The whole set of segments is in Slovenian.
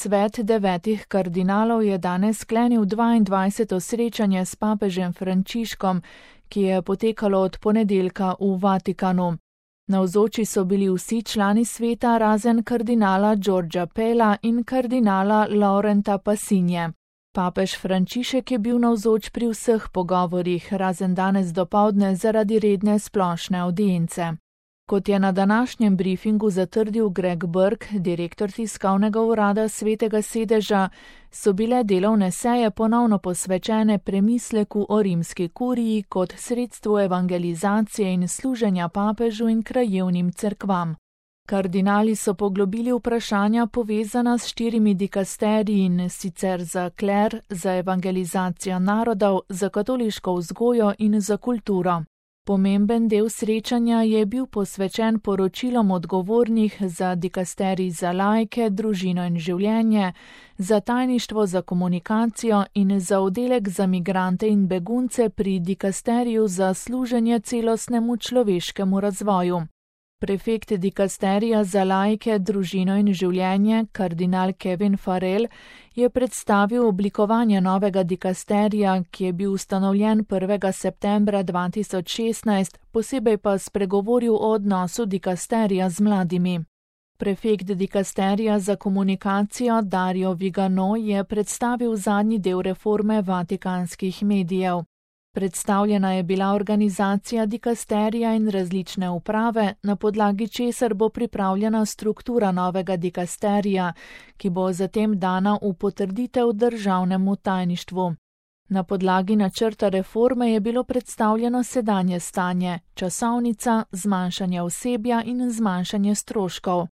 Svet 9 kardinalov je danes sklenil 22. srečanje s papežem Frančiškom, ki je potekalo od ponedeljka v Vatikanu. Navzoči so bili vsi člani sveta razen kardinala Giorgia Pella in kardinala Laurenta Passinje. Papež Frančišek je bil navzoč pri vseh pogovorih, razen danes dopoldne zaradi redne splošne avdience. Kot je na današnjem briefingu zatrdil Greg Burke, direktor tiskovnega urada Svetega sedeža, so bile delovne seje ponovno posvečene premisleku o rimski kuriji kot sredstvu evangelizacije in služenja papežu in krajevnim cerkvam. Kardinali so poglobili vprašanja povezana s 4 dikasteriji in sicer za kler, za evangelizacijo narodov, za katoliško vzgojo in za kulturo. Pomemben del srečanja je bil posvečen poročilom odgovornih za dikasterij za laike, družino in življenje, za tajništvo za komunikacijo in za oddelek za migrante in begunce pri dikasteriju za služenje celostnemu človeškemu razvoju. Prefekt dikasterija za laike, družino in življenje, kardinal Kevin Farrell, je predstavil oblikovanje novega dikasterija, ki je bil ustanovljen 1. septembra 2016, posebej pa spregovoril o odnosu dikasterija z mladimi. Prefekt dikasterija za komunikacijo Dario Vigano je predstavil zadnji del reforme vatikanskih medijev. Predstavljena je bila organizacija dikasterija in različne uprave, na podlagi česar bo pripravljena struktura novega dikasterija, ki bo zatem dana v potrditev državnemu tajništvu. Na podlagi načrta reforme je bilo predstavljeno sedanje stanje, časovnica, zmanjšanje osebja in zmanjšanje stroškov.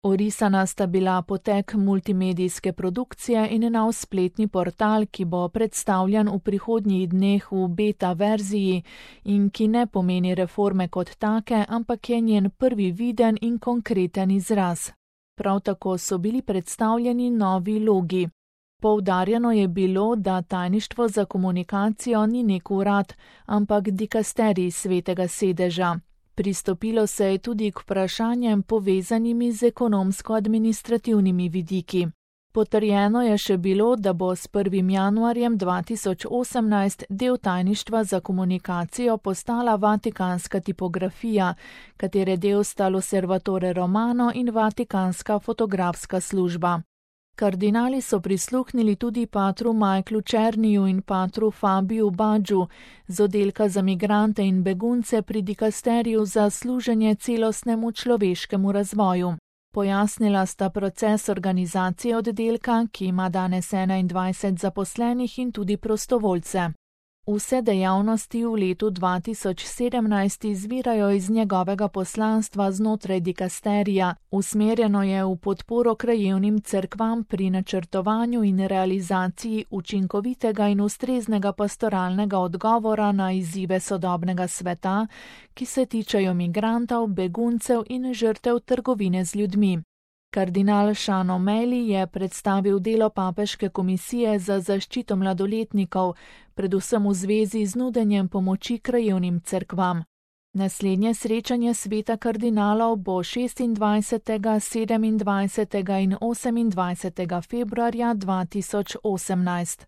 Orisana sta bila potek multimedijske produkcije in nov spletni portal, ki bo predstavljen v prihodnjih dneh v beta verziji in ki ne pomeni reforme kot take, ampak je njen prvi viden in konkreten izraz. Prav tako so bili predstavljeni novi logi. Poudarjeno je bilo, da tajništvo za komunikacijo ni nek urad, ampak dikasterij Svetega sedeža. Pristopilo se je tudi k vprašanjem povezanimi z ekonomsko-administrativnimi vidiki. Potrjeno je še bilo, da bo s 1. januarjem 2018 del tajništva za komunikacijo postala vatikanska tipografija, katere del sta L'Osservatore Romano in Vatikanska fotografska služba. Kardinali so prisluhnili tudi patru Michaelu Černiju in patru Fabiju Badžu z oddelka za migrante in begunce pri dikasteriju za služenje celostnemu človeškemu razvoju. Pojasnila sta proces organizacije oddelka, ki ima danes 21 zaposlenih in tudi prostovoljce. Vse dejavnosti v letu 2017 izvirajo iz njegovega poslanstva znotraj dikasterija, usmerjeno je v podporo krajevnim cerkvam pri načrtovanju in realizaciji učinkovitega in ustreznega pastoralnega odgovora na izzive sodobnega sveta, ki se tičejo migrantov, beguncev in žrtev trgovine z ljudmi. Kardinal Sean O'Malley je predstavil delo papeške komisije za zaščito mladoletnikov, predvsem v zvezi z nudenjem pomoči krajevnim cerkvam. Naslednje srečanje sveta kardinalov bo 26., 27. in 28. februarja 2018.